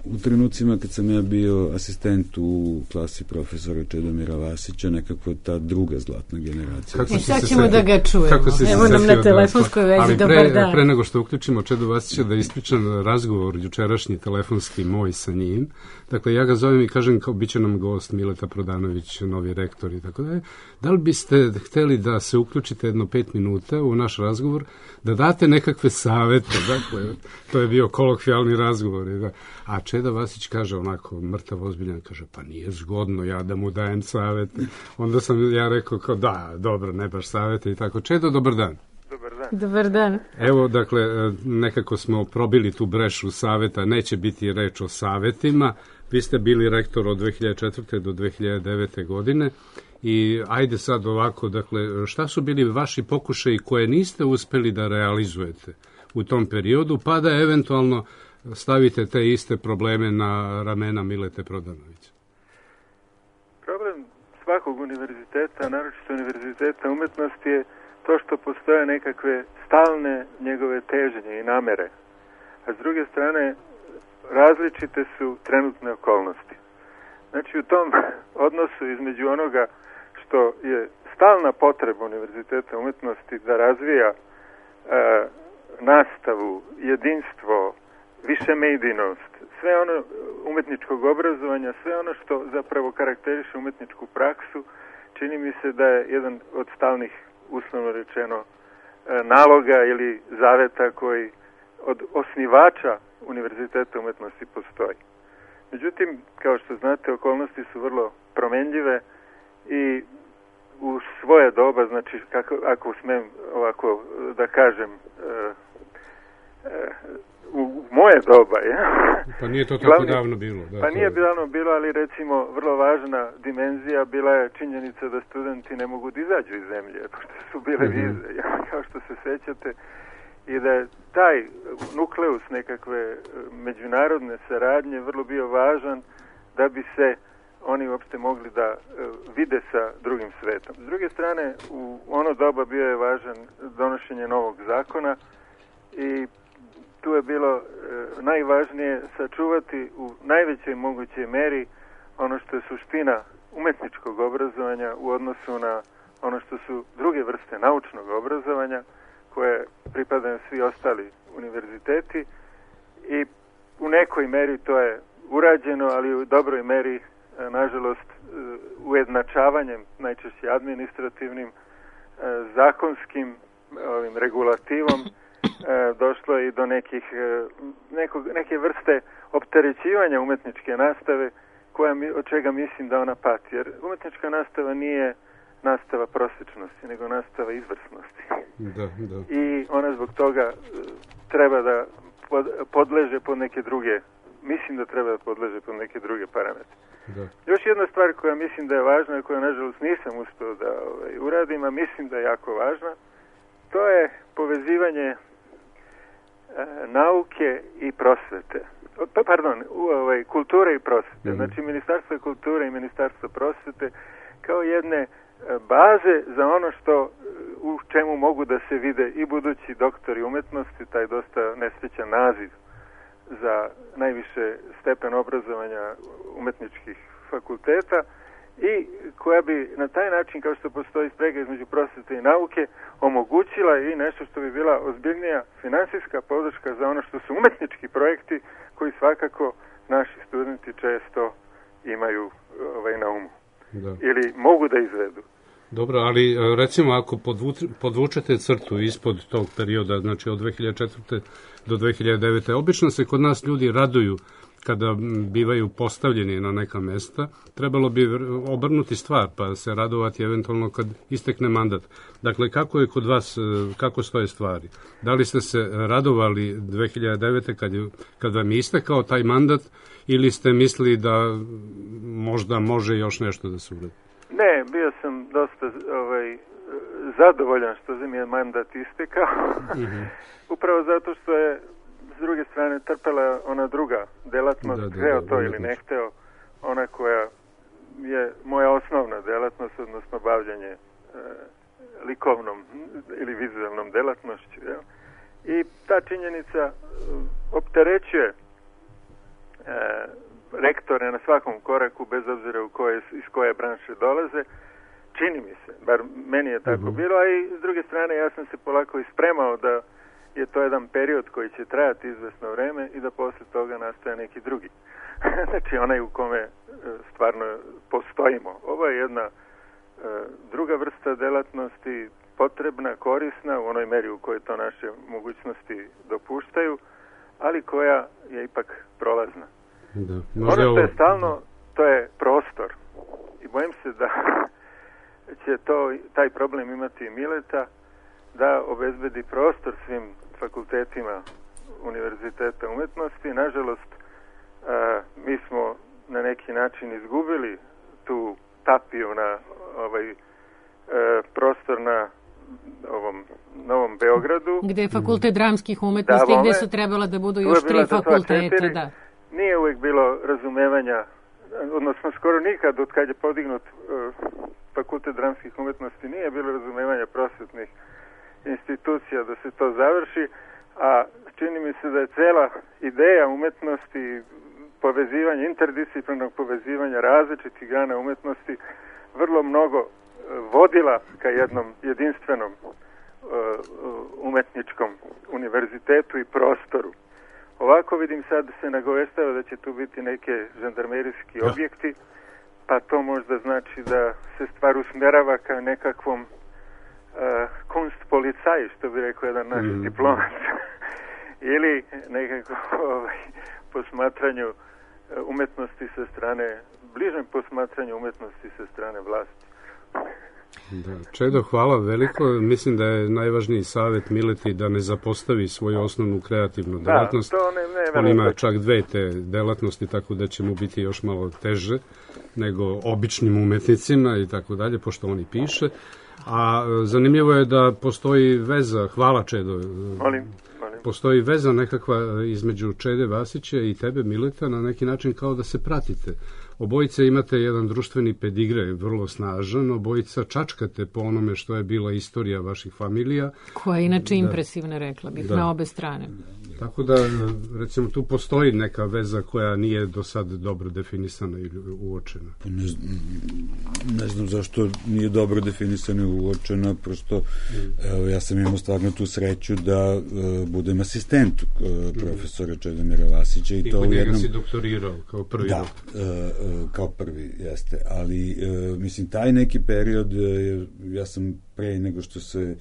u trenucima kad sam ja bio asistent u klasi profesora Čedomira Vasića, nekako ta druga zlatna generacija. I sad ćemo da ga čujemo. Evo nam na telefonskoj vezi, dobar dan. Pre nego što uključimo Čedo Vasića, da ispričam razgovor jučerašnji telefonski moj sa njim. Dakle, ja ga zovem i kažem kao bit će nam gost Mileta Prodanović, novi rektor i tako dalje. Da li biste hteli da se uključite jedno 5 minuta u naš razgovor, da date nekakve savete, dakle, to je bio kolokvijalni razgovor. A Čeda Vasić kaže onako, mrtav ozbiljan, kaže, pa nije zgodno ja da mu dajem savete. Onda sam ja rekao kao da, dobro, ne baš savete i tako. Čedo, dobar dan. Dobar dan. Evo, dakle, nekako smo probili tu brešu saveta, neće biti reč o savetima. Vi ste bili rektor od 2004. do 2009. godine i ajde sad ovako, dakle, šta su bili vaši pokušaji koje niste uspeli da realizujete u tom periodu, pa da eventualno stavite te iste probleme na ramena Milete Prodanovića? Problem svakog univerziteta, naročito univerziteta umetnosti, je to što postoje nekakve stalne njegove težnje i namere. A s druge strane, različite su trenutne okolnosti. Znači, u tom odnosu između onoga što što je stalna potreba Univerziteta umetnosti da razvija nastavu, jedinstvo, višemedijnost, sve ono umetničkog obrazovanja, sve ono što zapravo karakteriše umetničku praksu, čini mi se da je jedan od stalnih, uslovno rečeno, naloga ili zaveta koji od osnivača Univerziteta umetnosti postoji. Međutim, kao što znate, okolnosti su vrlo promenljive i u svoje doba, znači ako smem ovako da kažem, u moje doba, Pa nije to tako davno bilo. Pa nije davno bilo, ali recimo vrlo važna dimenzija bila je činjenica da studenti ne mogu da izađu iz zemlje, pošto su bile vize, kao što se sećate, i da je taj nukleus nekakve međunarodne saradnje vrlo bio važan da bi se oni uopšte mogli da vide sa drugim svetom. S druge strane, u ono doba bio je važan donošenje novog zakona i tu je bilo najvažnije sačuvati u najvećoj mogućoj meri ono što je suština umetničkog obrazovanja u odnosu na ono što su druge vrste naučnog obrazovanja koje pripadaju svi ostali univerziteti i u nekoj meri to je urađeno, ali u dobroj meri, nažalost, ujednačavanjem, najčešće administrativnim, zakonskim regulativom, došlo je i do neke vrste opterećivanja umetničke nastave od čega mislim da ona pati. Jer umetnička nastava nije nastava prosječnosti, nego nastava izvrsnosti. Da. I ona zbog toga treba da podleže pod neke druge, mislim da treba da podleže pod neke druge parametre. Da. Još jedna stvar koja mislim da je važna i koju nažalost nisam uspeo da uradim, a mislim da je jako važna, to je povezivanje nauke i prosvete. Kulture i prosvete. Znači Ministarstvo kulture i Ministarstvo prosvete kao jedne baze za ono što u čemu mogu da se vide i budući doktori umetnosti, taj dosta nesrećan naziv za najviše stepen obrazovanja umetničkih fakulteta i koja bi na taj način, kao što postoji sprega između prosvete i nauke, omogućila i nešto što bi bila ozbiljnija finansijska podrška za ono što su umetnički projekti koji svakako naši studenti često imaju na umu. Da. Ili mogu da izvedu. Dobro, ali recimo ako podvučete crtu ispod tog perioda, znači od 2004. do 2009. Obično se kod nas ljudi raduju kada bivaju postavljeni na neka mesta, trebalo bi obrnuti stvar, pa se radovati eventualno kad istekne mandat. Dakle, kako je kod vas, kako stoje stvari? Da li ste se radovali 2009. kad vam je istekao taj mandat ili ste mislili da možda može još nešto da se uradi? Ne, bio sam dosta zadovoljan što mi je mandat istekao. Upravo zato što je s druge strane trpela ona druga delatnost, hteo to ili ne hteo, ona koja je moja osnovna delatnost, odnosno bavljanje likovnom ili vizualnom delatnošću. I ta činjenica opterećuje rektore na svakom koraku, bez obzira iz koje branše dolaze, čini mi se, bar meni je tako bilo, a i s druge strane ja sam se polako ispremao da je to jedan period koji će trajati izvesno vreme i da posle toga nastaje neki drugi. Znači onaj u kome stvarno postojimo. Ovo je jedna druga vrsta delatnosti, potrebna, korisna u onoj meri u kojoj to naše mogućnosti dopuštaju, ali koja je ipak prolazna. Da. Ono što je stalno, to je prostor. I bojim se da će taj problem imati Mileta, da obezbedi prostor svim fakultetima Univerziteta umetnosti. Nažalost, mi smo na neki način izgubili tu tapiju na prostor na ovom Novom Beogradu. Gde je fakultet dramskih umetnosti, gde su trebala da budu još 3 fakulteta. Da. Nije uvek bilo razumevanja, odnosno skoro nikad od kad je podignut fakultet dramskih umetnosti nije bilo razumevanja prosvetnih institucija da se to završi, a čini mi se da je cela ideja umetnosti, interdisciplinarnog povezivanja različitih grana umetnosti vrlo mnogo vodila ka jednom jedinstvenom umetničkom univerzitetu i prostoru. Ovako vidim sad se nagovestava da će tu biti neke žandarmerijski objekti, pa to možda znači da se stvar usmerava ka nekakvom kunstpolicaj, što bi rekao jedan naš diplomat, ili nekako posmatranju umetnosti sa strane, bližem posmatranju umetnosti sa strane vlasti. Da, Čedo, hvala veliko. Mislim da je najvažniji savjet Mileti da ne zapostavi svoju osnovnu kreativnu delatnost. On ima čak 2 te delatnosti, tako da će mu biti još malo teže nego običnim umetnicima i tako dalje, pošto on i piše. A zanimljivo je da postoji veza, hvala Čedo, postoji veza nekakva između Čede Vasića i tebe, Mileta, na neki način kao da se pratite. Obojice imate jedan društveni pedigre, vrlo snažan, obojica čačkate po onome što je bila istorija vaših familija. Koja je inače impresivna, rekla bih, na obe strane. Tako da, recimo, tu postoji neka veza koja nije do sad dobro definisana ili uočena. Ne znam zašto nije dobro definisana i uočena, prosto ja sam imao stvarno tu sreću da budem asistent profesora Čedomira Vasića. I kod njega si doktorirao kao prvi. Da, kao prvi, jeste. Ali, mislim, taj neki period, ja sam pre nego što se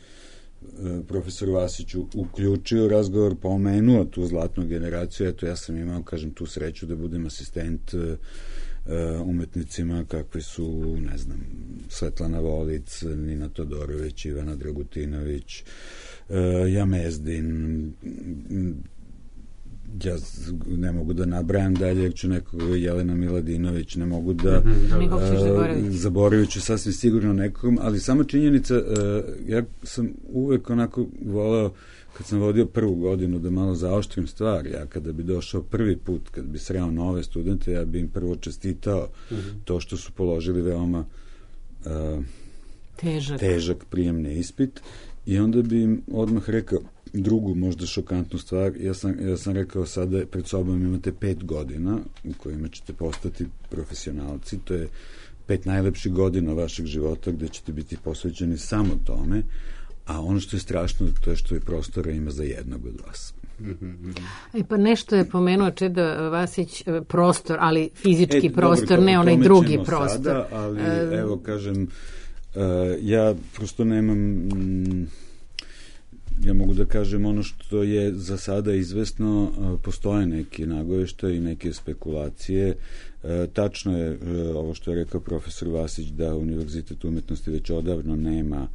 profesor Vasić uključio razgovor, pomenuo tu zlatnu generaciju. Eto, ja sam imao, kažem, tu sreću da budem asistent umetnicima kakvi su, ne znam, Svetlana Volic, Nina Todorović, Ivana Dragutinović, Jamezdin, ja ne mogu da nabrajam dalje, jer ću nekog, Jelena Miladinović, ne mogu da zaboravit ću sasvim sigurno nekog, ali sama činjenica, ja sam uvek onako voleo, kad sam vodio prvu godinu, da malo zaoštrim stvar. Ja kada bi došao prvi put, kad bi sreo nove studente, ja bi im prvo čestitao to što su položili veoma težak prijemni ispit, i onda bi im odmah rekao drugu, možda šokantnu stvar. Ja sam rekao, sada pred sobom imate 5 godina u kojima ćete postati profesionalci. To je 5 najlepših godina vašeg života gde ćete biti posvećeni samo tome, a ono što je strašno, to je što je prostora ima za jednog od vas. Pa nešto je pomenuo Čeda Vasić, prostor, ali fizički prostor, ne onaj drugi prostor. Sada, ali evo, kažem, ja prosto nemam... Ja mogu da kažem ono što je za sada izvesno, postoje neki nagoveštaji i neke spekulacije. Tačno je ovo što je rekao profesor Vasić, da Univerzitet umetnosti već odavno nema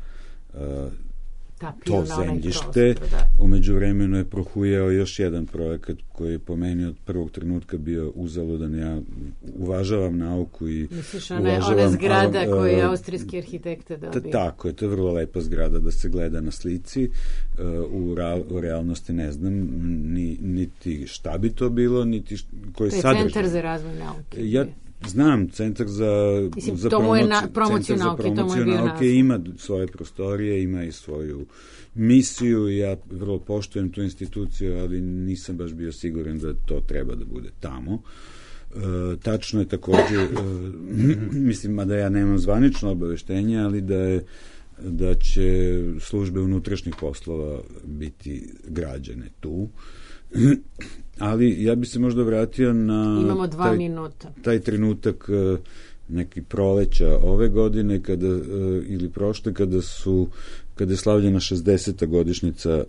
to zemljište. U međuvremenu je prohujao još jedan projekat koji je po meni od prvog trenutka bio uzaludan. Ja uvažavam nauku i uvažavam... Ona zgrada koju je austrijski arhitekta dobio. Tako je, to je vrlo lepa zgrada da se gleda na slici. U realnosti ne znam niti šta bi to bilo, niti koji sadržaj. To je Centar za razvoj nauke. Ja znam, Centar za promociju nauke ima svoje prostorije, ima i svoju misiju, ja vrlo poštujem tu instituciju, ali nisam baš bio siguran da to treba da bude tamo. Tačno je takođe, mislim, mada ja nemam zvanično obaveštenje, ali da će službe unutrašnjih poslova biti građene tu. Ali ja bi se možda vratio na imamo 2 minuta. Taj trenutak neki proleća ove godine ili prošle, kada je slavljena 60. godišnjica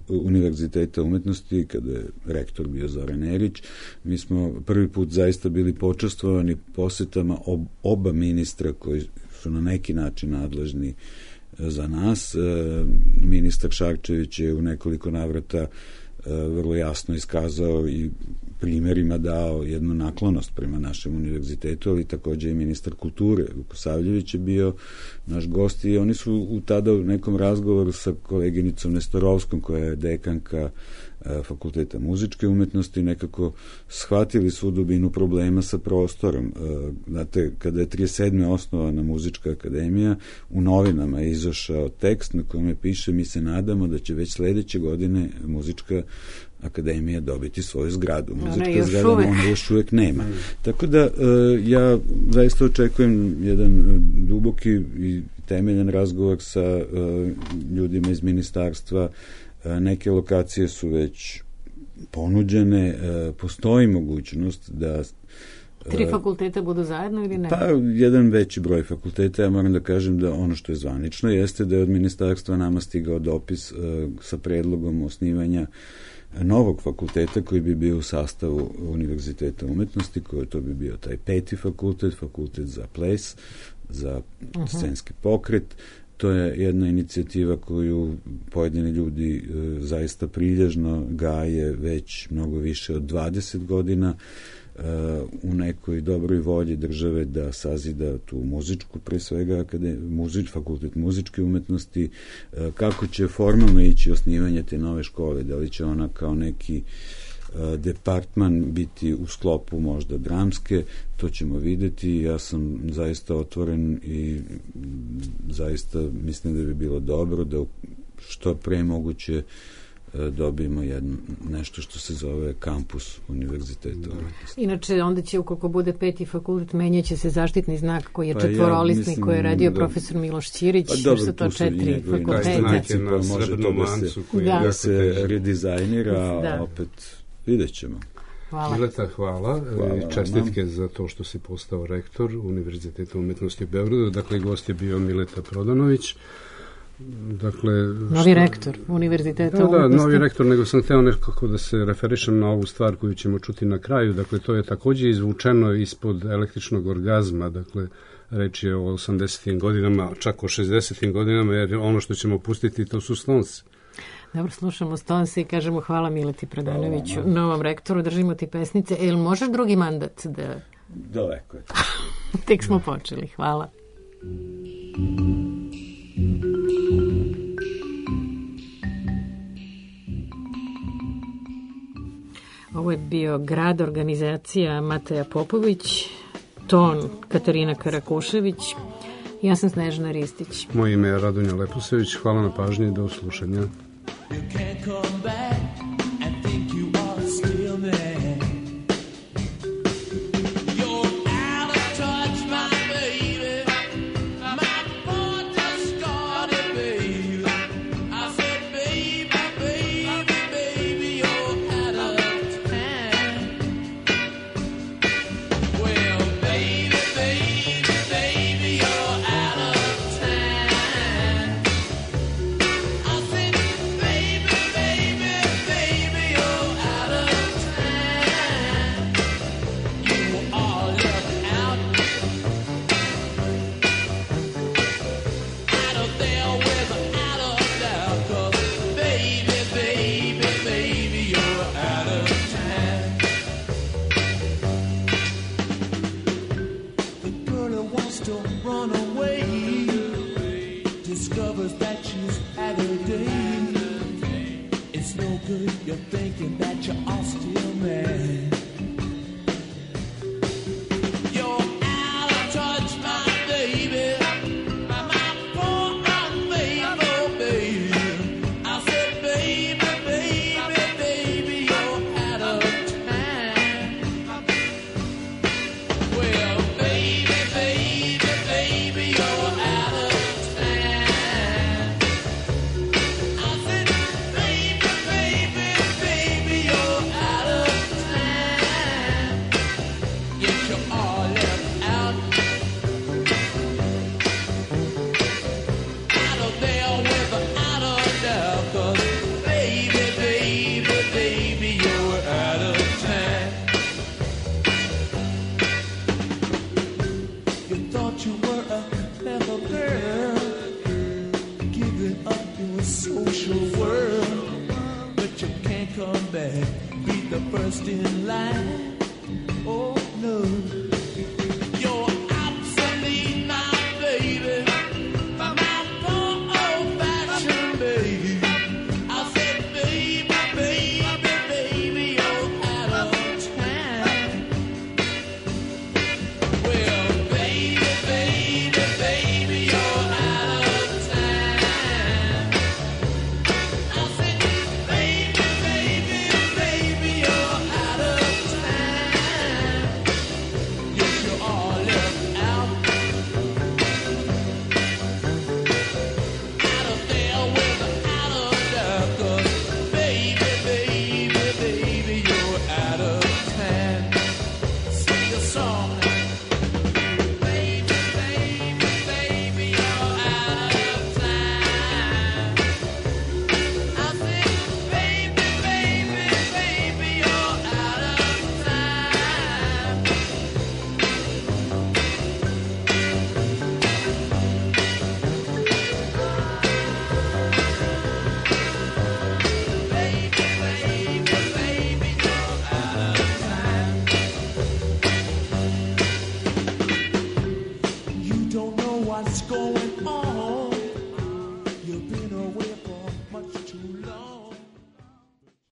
Univerziteta umetnosti, kada je rektor bio Zoran Erić. Mi smo prvi put zaista bili počastvovani posetama oba ministra koji su na neki način nadležni za nas. Ministar Šarčević je u nekoliko navrata vrlo jasno iskazao i primjerima dao jednu naklonost prema našem univerzitetu, ali takođe i ministar kulture Vukosavljević je bio naš gost, i oni su tada u nekom razgovoru sa koleginicom Nestorovskom, koja je dekanka Fakulteta muzičke umetnosti, nekako shvatili svu dubinu problema sa prostorom. Znate, kada je 37. osnovana muzička akademija, u novinama je izašao tekst na kome piše: mi se nadamo da će već sledeće godine muzička akademija dobiti svoju zgradu. Muzička zgrada ona još uvek nema. Tako da ja zaista očekujem jedan duboki i temeljan razgovor sa ljudima iz ministarstva. Neke lokacije su već ponuđene, postoji mogućnost da 3 fakulteta budu zajedno ili ne? Pa, jedan veći broj fakulteta. Ja moram da kažem da ono što je zvanično jeste da je od ministarstva nama stigao dopis sa predlogom osnivanja novog fakulteta koji bi bio u sastavu Univerziteta umetnosti, koji to bi bio taj 5. fakultet, fakultet za ples, za scenski pokret. To je jedna inicijativa koju pojedini ljudi zaista prilježno gaje već mnogo više od 20 godina u nekoj dobroj volji države da sazida tu muzičku, pre svega fakultet muzičke umetnosti. Kako će formalno ići osnivanje te nove škole, da li će ona kao neki departman biti u sklopu možda dramske, to ćemo videti. Ja sam zaista otvoren i zaista mislim da bi bilo dobro da što pre moguće dobijemo nešto što se zove kampus Univerziteta umetnosti. Inače, onda će, ukoliko bude 5. fakultet, menjaće se zaštitni znak koji je četvorolisni, koji je radio profesor Miloš Ćirić, što su to 4 fakulteta. Može to da se redizajnira, a opet vidjet ćemo. Hvala. Mileta, hvala. Čestitke za to što si postao rektor Univerziteta umetnosti u Beogradu. Dakle, gost je bio Mileta Prodanović. Dakle, novi rektor Univerziteta umetnosti. Da, novi rektor, nego sam hteo nekako da se referišem na ovu stvar koju ćemo čuti na kraju. Dakle, to je takođe izvučeno ispod električnog orgazma. Dakle, reč je o 80. godinama, čak o 60. godinama, jer ono što ćemo pustiti to su Stonesi. Dobro, slušamo Stonese i kažemo hvala Mileti Prodanoviću, novom rektoru, držimo ti pesnice. Jel možeš drugi mandat da... Daleko je. Tek smo počeli, hvala. Ovo je bio Grad, organizacija Mateja Popović, ton Katarina Karakušević, ja sam Snežana Ristić. Moje ime je Radonja Leposević, hvala na pažnji i do slušanja. You can't come back and think you are still there. You're out of touch, my baby. My boy just started, baby. I said, baby, baby, baby, you're out of time. Well, baby, baby, baby, you're out of time. I said, baby, baby, you're out of time. You are left out of there without a doubt. 'Cause baby, baby, baby, you're out of time. The girl who wants to run away discovers that she's had her day. It's no good, you're thinking that you are still mad. You're out of touch, my baby. My poor unfaithful baby. I said, baby, baby, baby, you're out of time. Well, baby, baby, baby, you're out of time. I said, baby, baby, baby, you're out of time. Yes, you are left out of there without a doubt. 'Cause baby, baby, baby, you're out of time. You thought you were a clever girl, giving up your social world, but you can't come back, be the first in line. Oh no.